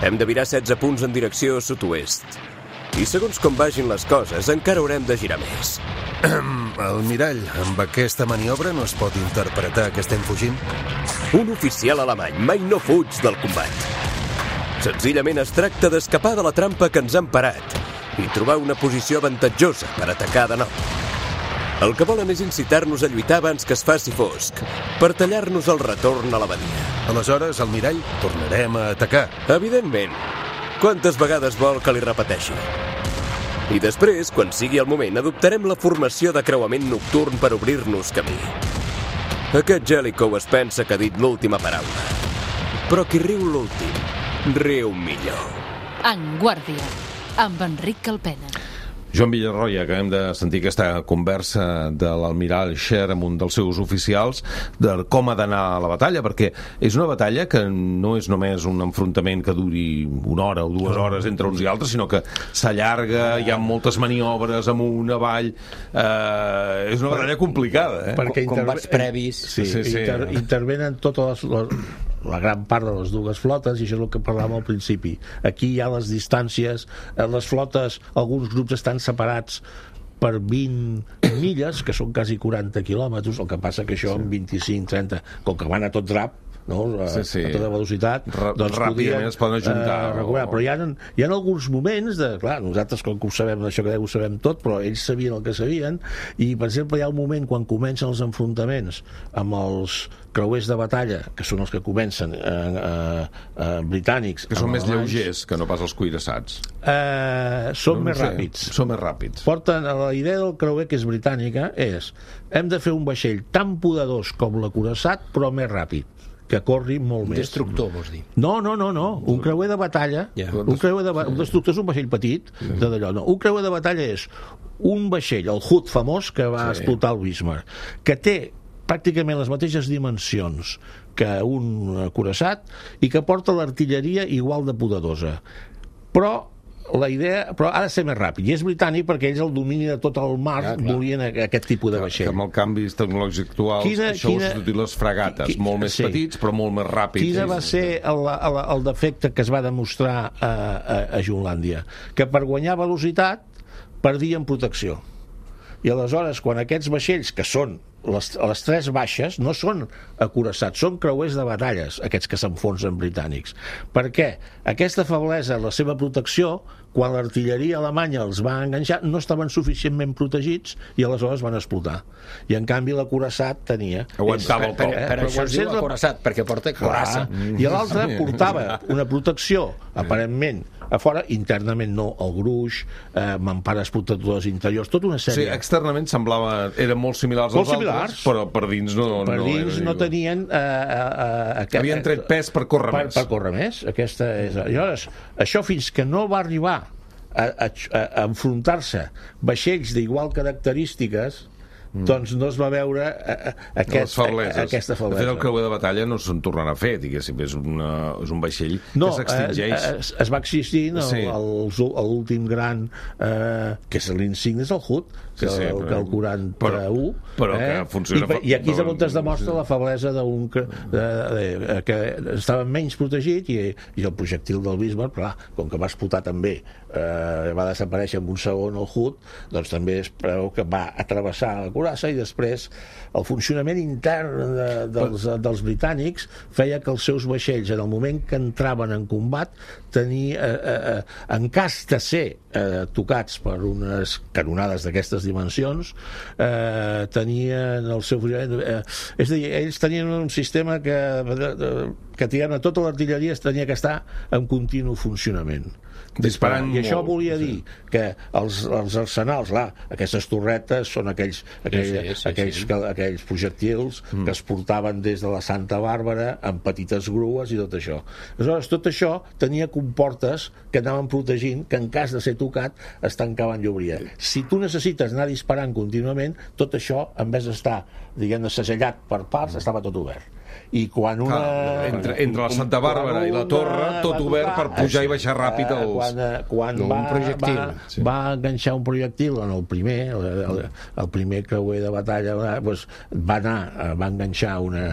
Hem de virar setze punts en direcció sud-oest. I segons com vagin les coses, encara haurem de girar més. Almirall, amb aquesta maniobra no es pot interpretar que estem fugint? Un oficial alemany mai no fuig del combat. Senzillament es tracta d'escapar de la trampa que ens han parat i trobar una posició avantatjosa per atacar de nou. El que volen és incitar-nos a lluitar abans que es faci fosc, per tallar-nos el retorn a la badia. Aleshores, Almirall, tornarem a atacar. Evidentment. Quantes vegades vol que li repeteixi? I després, quan sigui el moment, adoptarem la formació de creuament nocturn per obrir-nos camí. Aquest Jellicoe es pensa que ha dit l'última paraula. Però qui riu l'últim, riu millor. En Guàrdia, amb Enric Calpena. Joan Villarroya, acabem de sentir aquesta conversa de l'almirall Sher amb un dels seus oficials de com ha d'anar a la batalla, perquè és una batalla que no és només un enfrontament que duri una hora o dues hores entre uns i altres, sinó que s'allarga, hi ha moltes maniobres amunt, avall, eh, és una batalla complicada, eh? Perquè combats previs. Sí, sí, sí. Inter intervenen totes les, les la gran part de les dues flotes, i això és el que parlàvem al principi. Aquí hi ha les distàncies, les flotes, alguns grups estan separats per vint milles, que són quasi quaranta quilòmetres, el que passa que això en vint-i-cinc trenta, com que van a tot drap, no? A, sí, sí. a tota velocitat, R doncs ràpidament podien, es poden ajuntar eh, recuperar. o... Però hi ha, hi ha alguns moments de, clar, nosaltres com que ho sabem, això que ho sabem tot, però ells sabien el que sabien, i per exemple hi ha un moment quan comencen els enfrontaments amb els creuers de batalla, que són els que comencen eh, eh, eh, britànics, que són més alemanys, lleugers que no pas els cuirassats. eh, són no, no més sé, ràpids són més ràpids. Porten, la idea del creuer, que és britànica, és hem de fer un vaixell tan poderós com l'acuirassat, però més ràpid, que corri molt més. Destructor, vols dir? No, no, no, no. Un creuer de batalla, yeah. un creuer de un destructor és un vaixell petit, sí. de d'allò. No, un creuer de batalla és un vaixell, el Hood famós, que va sí. explotar el Bismarck, que té pràcticament les mateixes dimensions que un acuirassat i que porta l'artilleria igual de poderosa. Però la idea, però ha de ser més ràpid, i és britànic perquè ells el domini de tot el mar, ja, volien aquest tipus de vaixell. Que amb el canvis tecnològics actuals quina, això quina, ho substituït les fregates, qui, molt més sí. petits però molt més ràpids. Quina va ser el, el, el defecte que es va demostrar a, a, a Junlàndia? Que per guanyar velocitat perdien protecció. I aleshores, quan aquests vaixells, que són les, les tres baixes, no són acuirassats, són creuers de batalles, aquests que s'enfonsen britànics. Per què? Aquesta feblesa en la seva protecció, quan l'artilleria alemanya els va enganxar, no estaven suficientment protegits i aleshores van explotar. I en canvi l'acuirassat tenia... Aguantava el per, cop. per, per això es diu acuirassat, perquè porta coraça. I l'altre portava una protecció, aparentment, a fora, internament no, el gruix, eh, mampares protectores interiors, tota una sèrie. Sí, externament semblava, eren molt similars als molt similars, altres, però per dins no... Per no dins era, no tenien... Eh, eh, eh, Havien tret pes per córrer per, més. Per córrer més, aquesta és... Llavors, això fins que no va arribar a, a, a enfrontar-se vaixells d'igual característiques, Mm. doncs no es va veure a, a aquest, a, a aquesta feblesa. De fet, el creuer de batalla no se'n tornarà a fer, diguéssim, és, una, és un vaixell no, que s'extingeix. Eh, es, es va existir no, sí. l'últim gran eh, que és l'insigne és el Hood, que, sí, sí, el, que el quaranta-u, però, però eh? que funciona. I, i aquí és on es demostra la feblesa d'un de, de, de, que estava menys protegit, i, i el projectil del Bismarck, clar, com que va explotar també, eh, va desaparèixer en un segon el Hood, doncs també es preveu que va atravessar la curassa, i després el funcionament intern de, dels, dels britànics feia que els seus vaixells, en el moment que entraven en combat, tenia, eh, eh, en cas de ser eh, tocats per unes canonades d'aquestes dimensions, eh, tenien el seu funcionament... Eh, és a dir, ells tenien un sistema que, que tirant a tota l'artilleria es tenia que estar en continu funcionament. Disparant I això molt, volia dir sí. que els, els arsenals, clar, aquestes torretes són aquells, aquell, sí, sí, sí, aquells, sí. Que, aquells projectils mm. que es portaven des de la Santa Bàrbara amb petites grues i tot això. Aleshores, tot això tenia comportes que anaven protegint, que en cas de ser tocat es tancaven i obrien. Si tu necessites anar disparant contínuament, tot això, en vez d'estar, diguem-ne, segellat per parts, estava tot obert. i quan una... Clar, entre, entre la Santa Bàrbara i la Torre, tot obert per pujar i baixar ràpid els... Quan, quan va, va, sí. va enganxar un projectil en el primer, el, el, el primer creuer de batalla, doncs, va anar, va enganxar una,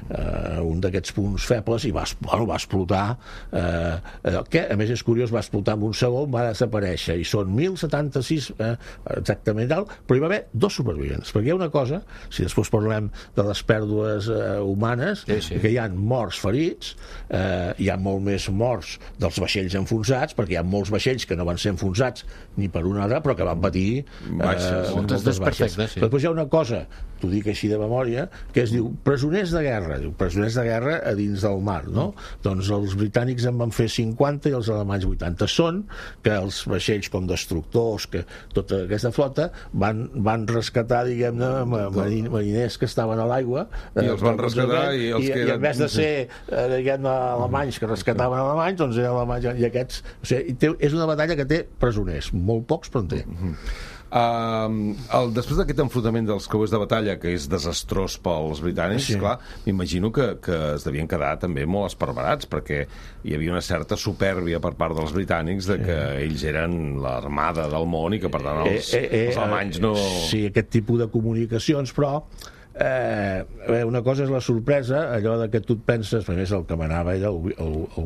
uh, un d'aquests punts febles i va, bueno, va explotar, uh, que a més és curiós, va explotar en un segon, va desaparèixer, i són mil setanta-sis eh, exactament tal, però hi va haver dos supervivents, perquè hi ha una cosa, si després parlem de les pèrdues eh, humanes, sí, sí. que hi ha morts ferits, eh, hi ha molt més morts dels vaixells enfonsats, perquè hi ha molts vaixells que no van ser enfonsats ni per un altre, però que van patir eh, baixes, moltes baixes. Sí. Però després hi ha una cosa, t'ho dic així de memòria, que es diu presoners de guerra, diu presoners de guerra a dins del mar, no? Mm. Doncs els britànics en van fer cinquanta i els alemanys vuitanta. Són que els vaixells com destructors, que tota aquesta flota van, van rescatar, diguem-ne, mariners que estaven a l'aigua, i els van rescatar i els i, que i en vez de ser eh, diguem-ne alemanys que rescataven alemanys, doncs eren alemanys i aquests, o sigui, té, és una batalla que té presoners, molt pocs però en té. Mm-hmm. Uh, el, després d'aquest enfrontament dels creuers de batalla, que és desastrós pels britànics, sí. Clar, m'imagino que, que es devien quedar també molt esparverats, perquè hi havia una certa supèrbia per part dels britànics de que sí. ells eren l'armada del món i que per tant els, eh, eh, eh, els alemanys no... Sí, aquest tipus de comunicacions, però Eh, una cosa és la sorpresa, allò de que tu et penses, a més el que manava era el, el, el,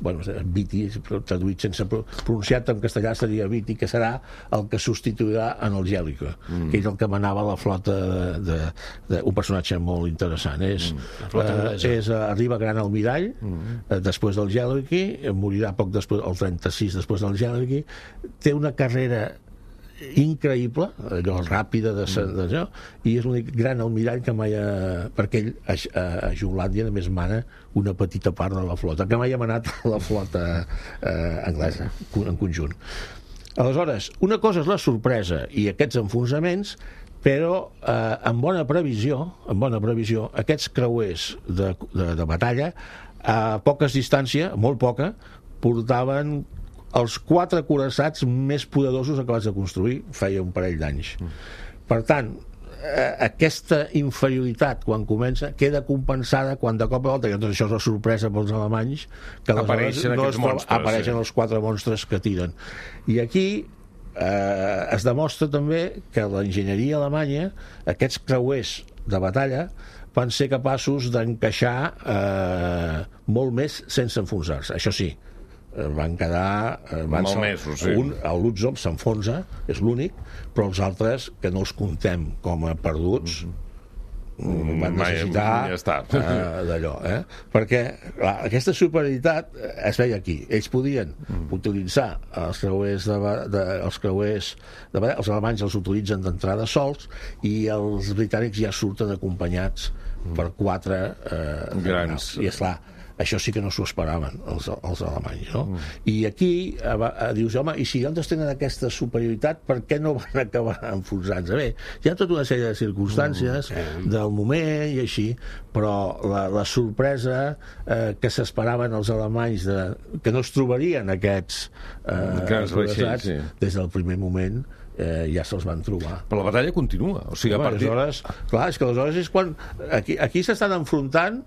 bueno, Viti, traduït sense pronunciat en castellà seria Viti, que serà el que substituirà en el Jellicoe, mm. que és el que manava la flota de, de, de, un personatge molt interessant, és, mm. eh, és arriba Gran Almirall mm. eh, després del Jellicoe, morirà poc després, el trenta-sis després del Jellicoe, té una carrera increïble, allò ràpida de, de, i és l'únic gran almirall que mai ha, perquè ell a, a, a Jutlàndia només mana una petita part de la flota, que mai ha manat la flota eh, anglesa en conjunt. Aleshores, una cosa és la sorpresa i aquests enfonsaments, però eh, en bona previsió en bona previsió, aquests creuers de, de, de batalla a poques distància, molt poca, portaven els quatre coraçats més poderosos acabats de construir feia un parell d'anys. Mm. Per tant, eh, aquesta inferioritat quan comença queda compensada quan de cop a volta, i doncs això és la sorpresa pels alemanys, que apareixen no aquests monstres, apareixen sí. els quatre monstres que tiren. I aquí eh, es demostra també que l'enginyeria alemanya, aquests creuers de batalla, van ser capaços d'encaixar eh, molt més sense enfonsar-se. Això sí, van quedar van malmesos, sí. Un, el Lutzov s'enfonsa, és l'únic, però els altres que no els comptem com a perduts mm-hmm. van necessitar ja uh, d'allò, eh? Perquè clar, aquesta superioritat es veia aquí, ells podien mm. utilitzar els creuers de, de, els creuers de, els alemanys els utilitzen d'entrada sols i els britànics ja surten acompanyats mm. per quatre eh, grans, i esclar, això sí que no s'ho esperaven els, els alemanys, no? Mm. I aquí eh, eh, dius, home, i si ells tenen aquesta superioritat, per què no van acabar enfonsant-se? Bé, hi ha tota una sèrie de circumstàncies mm. del moment i així, però la, la sorpresa eh, que s'esperaven els alemanys de, que no es trobarien aquests eh, vaixells, sí. Des del primer moment eh, ja se'ls van trobar. Però la batalla continua, o sigui, a partir... Aleshores, clar, és que aleshores és quan aquí, aquí s'estan enfrontant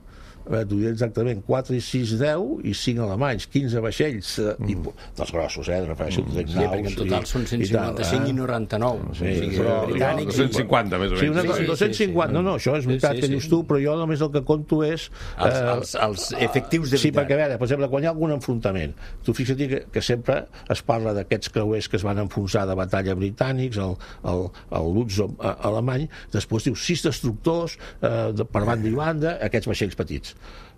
t'ho diré exactament, quatre i sis, deu i cinc alemanys, quinze vaixells mm. i, dels grossos, eh, refereixo mm. sí, perquè en total i, són cent cinquanta-cinc i, i noranta-nou sí, o sigui, però, britànics dos cents i cinquanta més o menys sí, una, sí, sí, dos cents i cinquanta, sí, sí. No, no, això és veritat sí, sí, que dius tu, però jo només el que conto és els, eh, els, els efectius de veritat. Sí, perquè a veure, per exemple, quan hi ha algun enfrontament tu fixa't que, que sempre es parla d'aquests creuers que es van enfonsar de batalla britànics, el, el, el Lutzov alemany, després diu sis destructors eh, de, per banda i banda, aquests vaixells petits.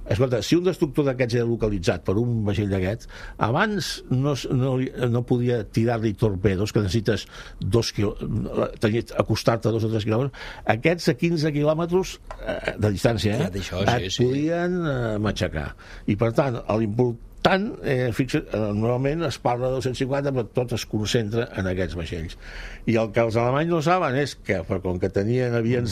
Escolta, si un destructor d'aquests era localitzat per un vaixell d'aquests, abans no, no, no podia tirar-li torpedos, que necessites dos quilòmetres, acostar-te a dos o tres quilòmetres, aquests a quinze quilòmetres eh, de distància eh, això, et sí, podien eh, matxacar. I per tant, l'important eh, fixa, eh, normalment es parla de dos cents i cinquanta, però tot es concentra en aquests vaixells. I el que els alemanys no saben és que, com que tenien, havien,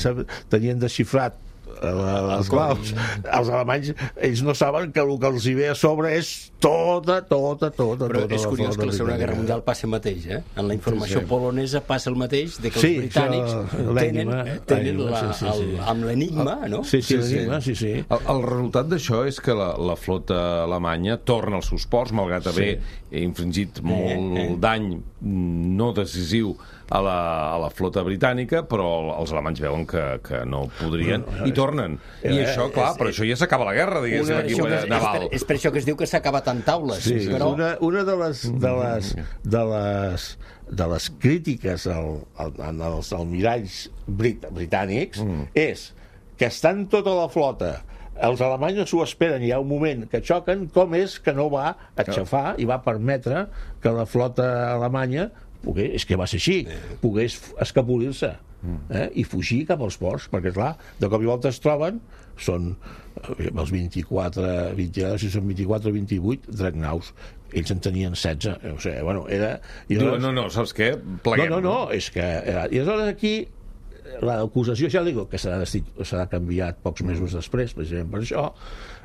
tenien desxifrat les claus. Els alemanys, ells no saben que el que els hi ve a sobre és tota, tota, tota, però tota és la curiós flota que la Segona britànica. Guerra Mundial passa el mateix, eh? En la informació Sí, sí. polonesa passa el mateix, de que els Sí, britànics això, tenen, l'enigma, tenen l'enigma, la, sí, sí, sí. el, amb l'enigma, no? Sí, sí, Sí, sí. l'enigma, sí, sí. El, el resultat d'això és que la, la flota alemanya torna als seus ports, malgrat haver infringit molt eh. dany no decisiu a la, a la flota britànica, però els alemanys veuen que, que no podrien Bueno, i tornen. I eh, això, clar, però això ja s'acaba la guerra, diguéssim, Una, aquí això que, a és, és, naval. per, és per això que es diu que s'ha acabat en taules, Sí, però... una, una de les de les de les de les crítiques al, al, als almiralls brit, britànics mm. és que estan tota la flota, els alemanys s'ho esperen, hi ha un moment que xoquen, com és que no va aixafar i va permetre que la flota alemanya pogués, és que va ser així, pogués escapolir-se eh, i fugir cap als ports, perquè clar, de cop i volta es troben, són eh, els vint-i-quatre, vint, si són vint-i-quatre o vint-i-vuit dreadnoughts, ells en tenien setze, o sigui, bueno, era... I Diu, aleshores... no, no, saps què? Pleguem. No, no, no, és que... Eh, I aleshores aquí l'acusació, ja dic, que serà, serà canviat pocs mesos després, precisament per això,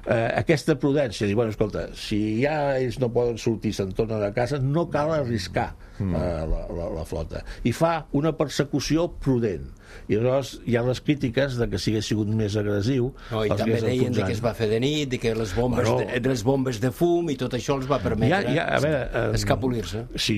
eh, aquesta prudència, dir, bueno, escolta, si ja ells no poden sortir, se'n tornen a casa, no cal arriscar eh, la, la, la flota. I fa una persecució prudent. I llavors hi ha les crítiques de que si hagués sigut més agressiu... No, i també deien de que es va fer de nit, de que les bombes, bueno, de, les bombes de fum i tot això els va permetre ja, ja, a veure, eh, escapolir-se. Si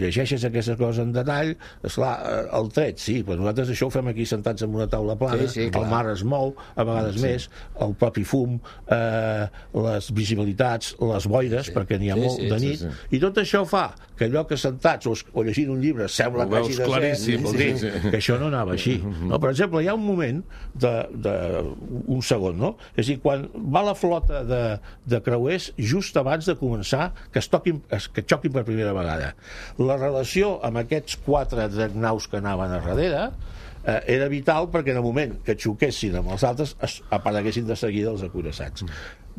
llegeixes aquestes coses en detall, esclar, el tret, sí, però nosaltres això ho fem aquí sentats en una taula plana, sí, sí, el mar es mou, a vegades sí. més, el propi fum, eh, les visibilitats, les boires, sí. perquè n'hi ha sí, molt sí, de nit, sí, sí. I tot això fa que allò que sentats o, o llegint un llibre sembla ho que hagi de claríssim, ser, sí, sí. que això no anava així. No? Per exemple, hi ha un moment de, de un segon, no? És a dir, quan va la flota de, de creuers just abans de començar que es toquin, que xoquin per primera vegada. La relació amb aquests quatre dreadnoughts que anaven a darrere eh, era vital perquè en el moment que xoquessin amb els altres es apareguessin de seguida els acuirassats.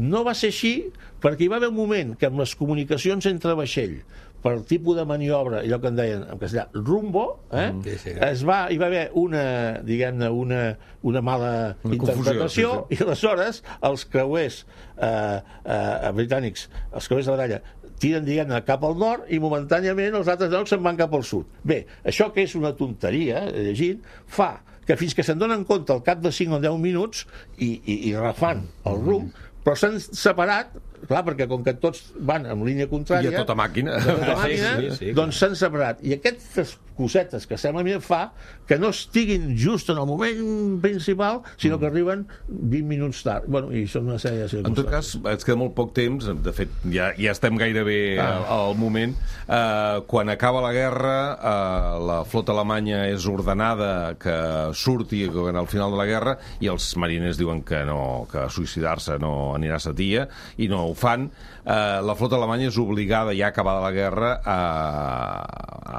No va ser així perquè hi va haver un moment que amb les comunicacions entre vaixell per tipus de maniobra, allò que en deien en castellà, rumbo, eh? Mm, sí, sí. Es va, hi va haver una, diguem-ne, una, una mala una interpretació, confusió, sí, sí. I aleshores els creuers eh, eh, britànics, els creuers de baralla, tiren, diguem-ne, cap al nord i momentàniament els altres llocs se'n van cap al sud. Bé, això que és una tonteria, llegint, fa que fins que se'n donen compte al cap de cinc o deu minuts i, i, i refan el rumb, però s'han separat, clar, perquè com que tots van en línia contrària... I a tota màquina. A tota màquina, sí, sí, sí, doncs s'han separat. I aquestes cosetes que sembla a mi fa que no estiguin just en el moment principal, sinó que arriben vint minuts tard. Bueno, i són una sèrie de circumstàncies. En tot cas, ens queda molt poc temps, de fet, ja, ja estem gairebé ah. al, al moment. Eh, quan acaba la guerra, eh, la flota alemanya és ordenada que surti al final de la guerra i els mariners diuen que no, que suïcidar-se no anirà a Satia i no ho fan. Eh, la flota alemanya és obligada, ja acabada la guerra, a,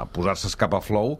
a posar-se a escapar flou,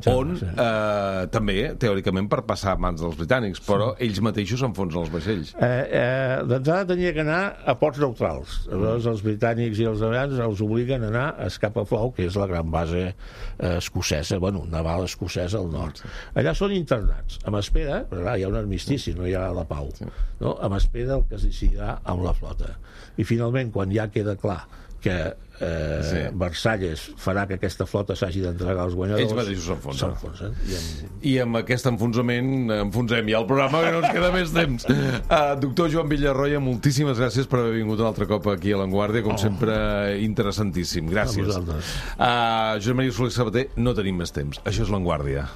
on eh, també, teòricament, per passar a mans dels britànics, però sí. ells mateixos s'enfonsen els vaixells. Eh, eh, D'entrada tenia que anar a ports neutrals. Aleshores, els britànics i els americans els obliguen a anar a escapar flou, que és la gran base eh, escocesa, bueno, naval escocesa al nord. Allà són internats, amb espera, però clar, hi ha un armistici, no hi ha la pau, no? Amb espera del que es decidirà amb la flota. I finalment, quan ja queda clar que eh, sí. Versalles farà que aquesta flota s'hagi d'entregar als guanyadors, ells mateixos s'enfonsen. s'enfonsen. I, amb... I amb aquest enfonsament enfonsem ja el programa, que no ens queda més temps. Uh, doctor Joan Villarroya, moltíssimes gràcies per haver vingut un altre cop aquí a l'Avantguàrdia, com oh. sempre, interessantíssim. Gràcies. Uh, Josep Maria Soler Sabater, no tenim més temps. Això és l'Avantguàrdia.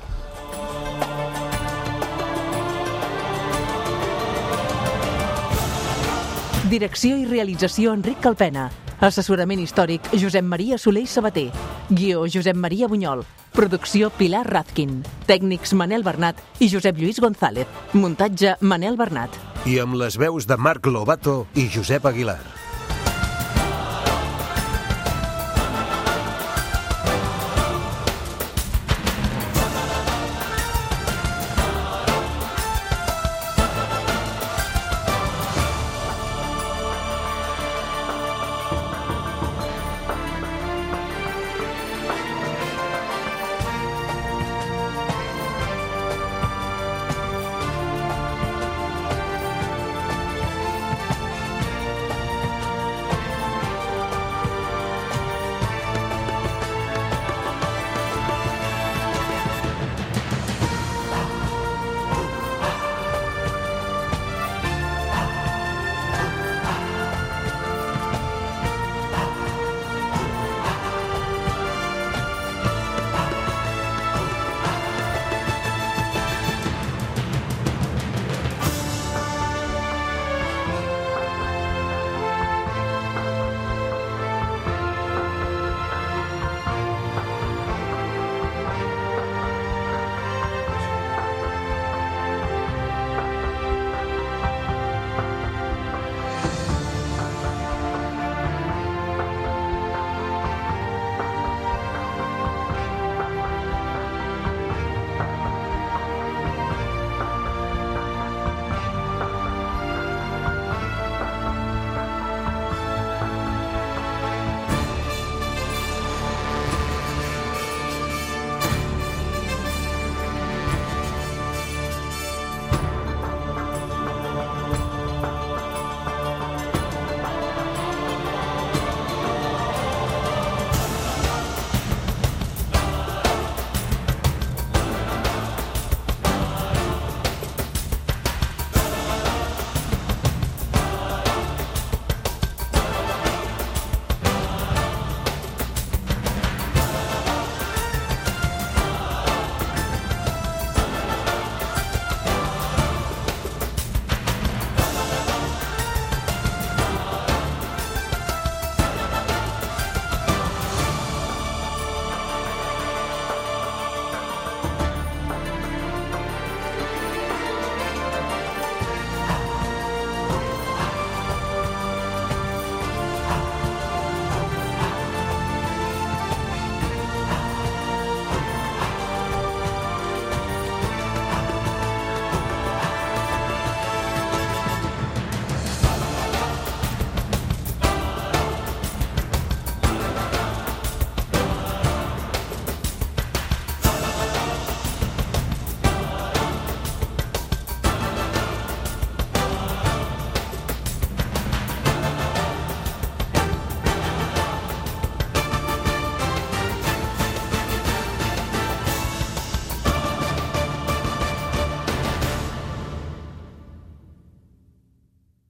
Direcció i realització Enric Calpena. Assessorament històric Josep Maria Soler Sabater. Guió Josep Maria Bunyol. Producció Pilar Razkin. Tècnics Manel Bernat i Josep Lluís González. Muntatge Manel Bernat. I amb les veus de Marc Lobato i Josep Aguilar.